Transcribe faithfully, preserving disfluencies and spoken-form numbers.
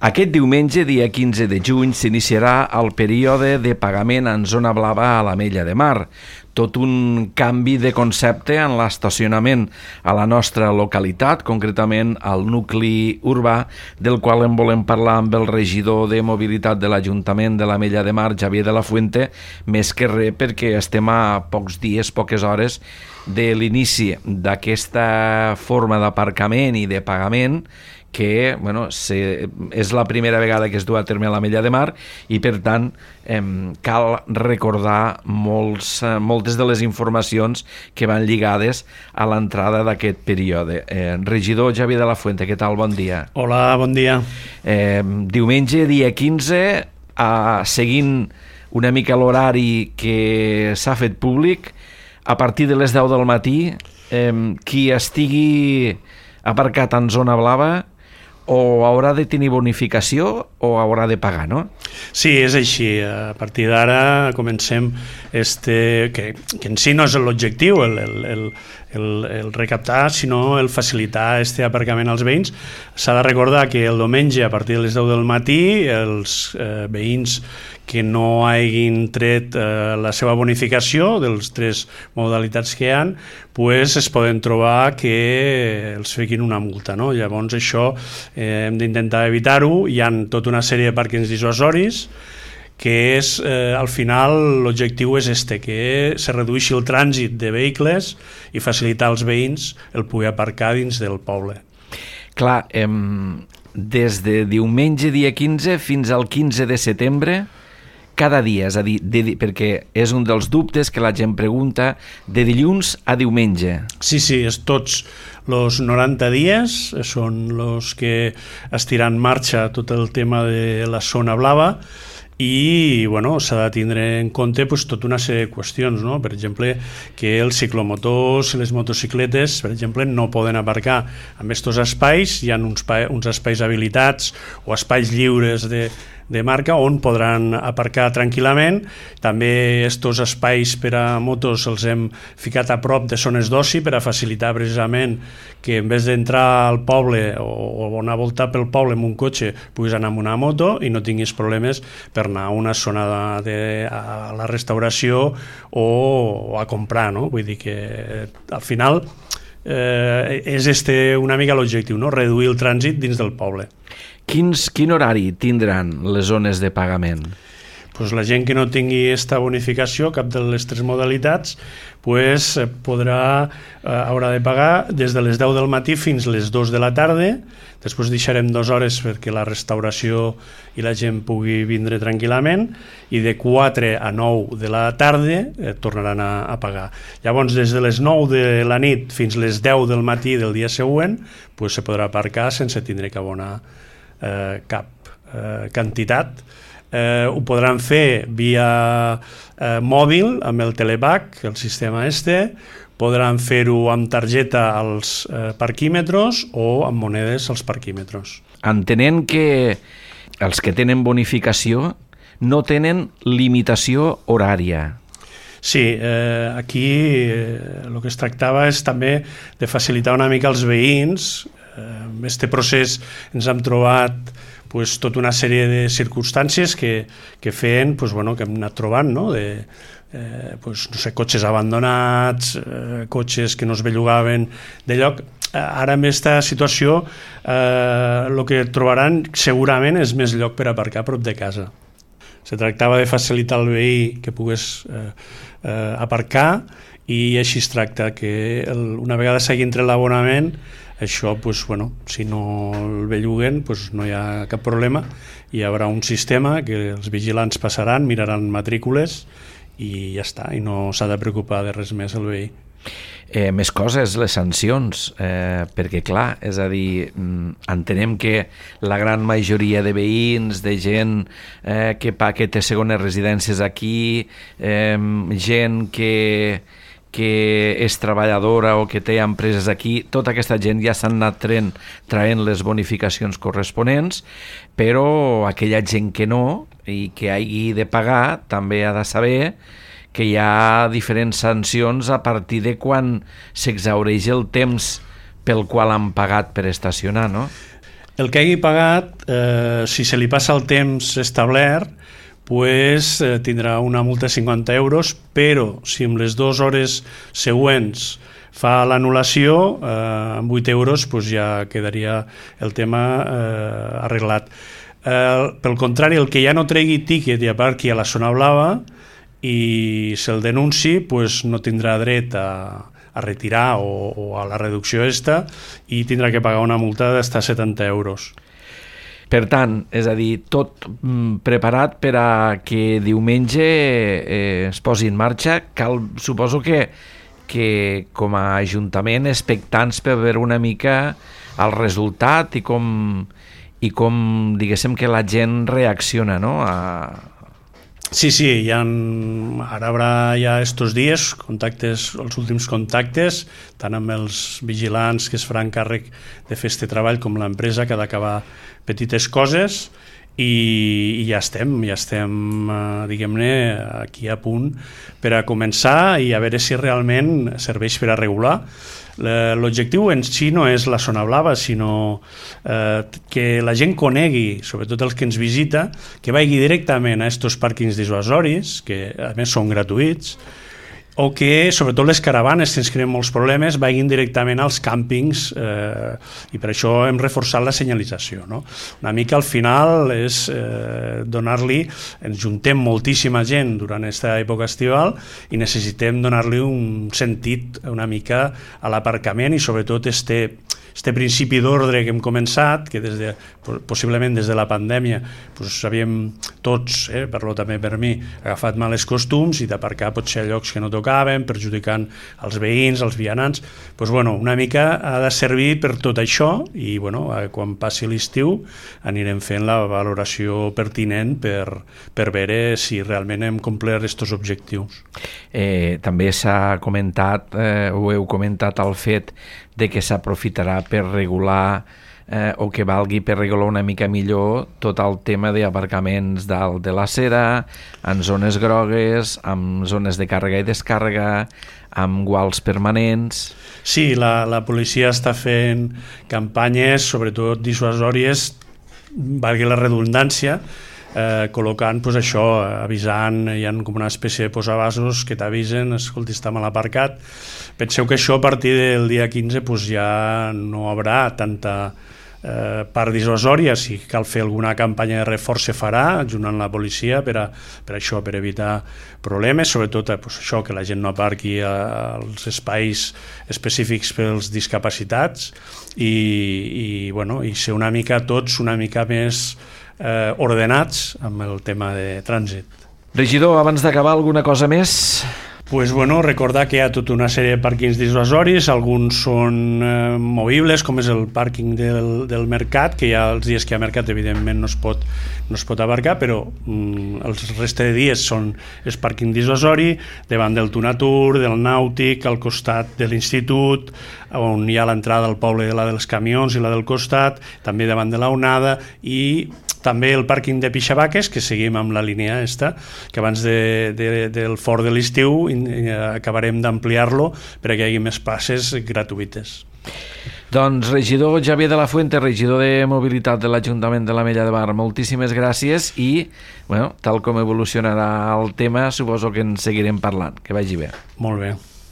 Aquest diumenge, dia quinze de juny, s'iniciarà el període de pagament en zona blava a l'Ametlla de Mar. Tot un canvi de concepte en l'estacionament a la nostra localitat, concretament al nucli urbà, del qual en volem parlar amb el regidor de mobilitat de l'Ajuntament de l'Ametlla de Mar, Xavier de la Fuente, més que res perquè estem a pocs dies, poques hores de l'inici d'aquesta forma d'aparcament i de pagament que bueno, se, és la primera vegada que es du a terme a l'Ametlla de Mar i, per tant, eh, cal recordar molts, eh, moltes de les informacions que van lligades a l'entrada d'aquest període. Eh, regidor Xavier de la Fuente, què tal? Bon dia. Hola, bon dia. Eh, diumenge, dia quinze, eh, seguint una mica l'horari que s'ha fet públic, a partir de les deu del matí, eh, qui estigui aparcat en zona blava o haurà de tenir bonificació o haurà de pagar, no? Sí, és així. A partir d'ara comencem este, que, que en si no és l'objectiu el, el, el, el, el recaptar, sinó el facilitar este aparcament als veïns. S'ha de recordar que el diumenge a partir de les deu del matí els eh, veïns que no hagin tret eh, la seva bonificació dels tres modalitats que hi ha, pues es poden trobar que els fiquin una multa, no? Llavors això eh, hem d'intentar evitar-ho. Hi ha tota una sèrie de pàrquings dissuasoris que és, eh, al final l'objectiu és este, que se redueixi el trànsit de vehicles i facilitar als veïns el poder aparcar dins del poble. Clar, eh, des de diumenge dia quinze fins al quinze de setembre, cada dia, és a dir, de, perquè és un dels dubtes que la gent pregunta, de dilluns a diumenge. Sí, sí, és tots els noranta dies, són els que es tiran en marxa tot el tema de la zona blava i bueno, s'ha de tindre en compte pues, tota una sèrie de qüestions, no? Per exemple, que els ciclomotors i les motocicletes, per exemple, no poden aparcar en aquests espais. Hi ha uns, uns espais habilitats o espais lliures de de marca on podran aparcar tranquil·lament. També estos espais per a motos els hem ficat a prop de zones d'oci per a facilitar precisament que en vez d'entrar al poble o, o anar a voltar pel poble amb un cotxe puguis anar amb una moto i no tinguis problemes per anar a una zona de, de, a la restauració o, o a comprar, no? Vull dir que al final eh, és este una mica l'objectiu, no? Reduir el trànsit dins del poble. Quins, quin horari tindran les zones de pagament? Pues la gent que no tingui esta bonificació, cap de les tres modalitats, pues podrà, eh, haurà de pagar des de les deu del matí fins les dues de la tarda. Després deixarem dues hores perquè la restauració i la gent pugui vindre tranquil·lament i de quatre a nou de la tarda eh, tornaran a, a pagar. Llavors, des de les nou de la nit fins les deu del matí del dia següent, pues, se podrà aparcar sense tindre que abonar Eh, cap eh, quantitat. Eh, ho podran fer via eh, mòbil amb el Telebac, el sistema este, podran fer-ho amb targeta als eh, parquímetres o amb monedes als parquímetres. Entenent que els que tenen bonificació no tenen limitació horària. Sí, eh, aquí eh, el que es tractava és també de facilitar una mica als veïns. En eh, este procés ens hem trobat pues, tota una sèrie de circumstàncies que, que feien pues, bueno, que hem anat trobant, no? De, eh, pues, no sé, cotxes abandonats, eh, cotxes que no es bellugaven de lloc. Ara en aquesta situació eh, el que trobaran segurament és més lloc per aparcar a prop de casa. Se tractava de facilitar al veí que pogués eh, eh, aparcar i així es tracta que el, una vegada s'hagi entrat l'abonament, això, pues, bueno, si no el belluguen, pues, no hi ha cap problema. Hi haurà un sistema que els vigilants passaran, miraran matrícules i ja està, i no s'ha de preocupar de res més el veí. Eh, més coses, les sancions, eh, perquè clar, és a dir, entenem que la gran majoria de veïns, de gent eh, que, pa, que té segones residències aquí, eh, gent que, que és treballadora o que té empreses aquí, tota aquesta gent ja s'han anat traient, traient les bonificacions corresponents, però aquella gent que no i que hagi de pagar també ha de saber que hi ha diferents sancions a partir de quan s'exhaureix el temps pel qual han pagat per estacionar, no? El que hagi pagat, eh, si se li passa el temps establert, pues, eh, tindrà una multa de cinquanta euros, però si en les dues hores següents fa l'anul·lació, eh, amb vuit euros pues, ja quedaria el tema eh, arreglat. Eh, pel contrari, el que ja no tregui tíquet i aparqui a la zona blava i se'l denunci, pues, no tindrà dret a, a retirar o, o a la reducció esta i tindrà que pagar una multa d'hasta setanta euros. Per tant, és a dir, tot mm, preparat per a que diumenge eh, es posi en marxa. Cal, suposo que, que com a Ajuntament expectants per veure una mica el resultat i com, i com diguéssim, que la gent reacciona, no? A... Sí, sí, hi ha, ara haurà ja estos dies contactes, els últims contactes, tant amb els vigilants que es faran càrrec de fer este treball com l'empresa que ha d'acabar petites coses i, i ja estem, ja estem, eh, diguem-ne, aquí a punt per a començar i a veure si realment serveix per a regular. L'objectiu en si no és la zona blava, sinó eh, que la gent conegui, sobretot els que ens visita, que vagi directament a estos pàrquings dissuasoris, que a més són gratuïts, o que, sobretot les caravanes, que ens creen molts problemes, vagin directament als càmpings eh, i per això hem reforçat la senyalització. No? Una mica al final és eh, donar-li, ens juntem moltíssima gent durant aquesta època estival i necessitem donar-li un sentit una mica a l'aparcament i sobretot este, este principi d'ordre que hem començat, que des de, possiblement des de la pandèmia pues, havíem tots, eh, parlo també per mi, agafat males costums i d'aparcar potser a llocs que no tocaven, perjudicant els veïns, els vianants. Pues, bueno, una mica ha de servir per tot això i bueno, quan passi l'estiu anirem fent la valoració pertinent per, per veure si realment hem complert aquests objectius. Eh, també s'ha comentat, eh, ho heu comentat, el fet de que s'aprofitarà per regular eh, o que valgui per regular una mica millor tot el tema d'aparcaments dalt de la cera, en zones grogues, amb zones de càrrega i descàrrega, amb guals permanents... Sí, la, la policia està fent campanyes, sobretot dissuasòries, valgui la redundància, eh, col·locant pues, això, avisant, hi ha com una espècie de posavasos que t'avisen, escolti, està mal aparcat. Penseu que això a partir del dia quinze pues, ja no haurà tanta eh, part dissuasòria. Si cal fer alguna campanya de reforç se farà, ajuntant la policia per, a, per això, per evitar problemes, sobretot pues, això, que la gent no aparqui als espais específics pels discapacitats i, i, bueno, i ser una mica tots una mica més eh, ordenats amb el tema de trànsit. Regidor, abans d'acabar, alguna cosa més? Pues bueno, recordar que hi ha tota una sèrie de pàrquings dissuasoris, alguns són eh, movibles, com és el pàrquing del, del mercat, que ja els dies que hi ha mercat evidentment no es pot, no es pot abarcar, però mm, els restes de dies són el pàrquing dissuasori, davant del Tunatur, del Nàutic, al costat de l'institut, on hi ha l'entrada al poble de la dels camions i la del costat, també davant de la Onada i també el pàrquing de Pixabaques, que seguim amb la línia esta, que abans de, de, del fort de l'estiu acabarem d'ampliar-lo perquè hi hagi més passes gratuïtes. Doncs regidor Xavier de la Fuente, regidor de Mobilitat de l'Ajuntament de l'Ametlla de Mar, moltíssimes gràcies i, bueno, tal com evolucionarà el tema, suposo que en seguirem parlant. Que vagi bé. Molt bé.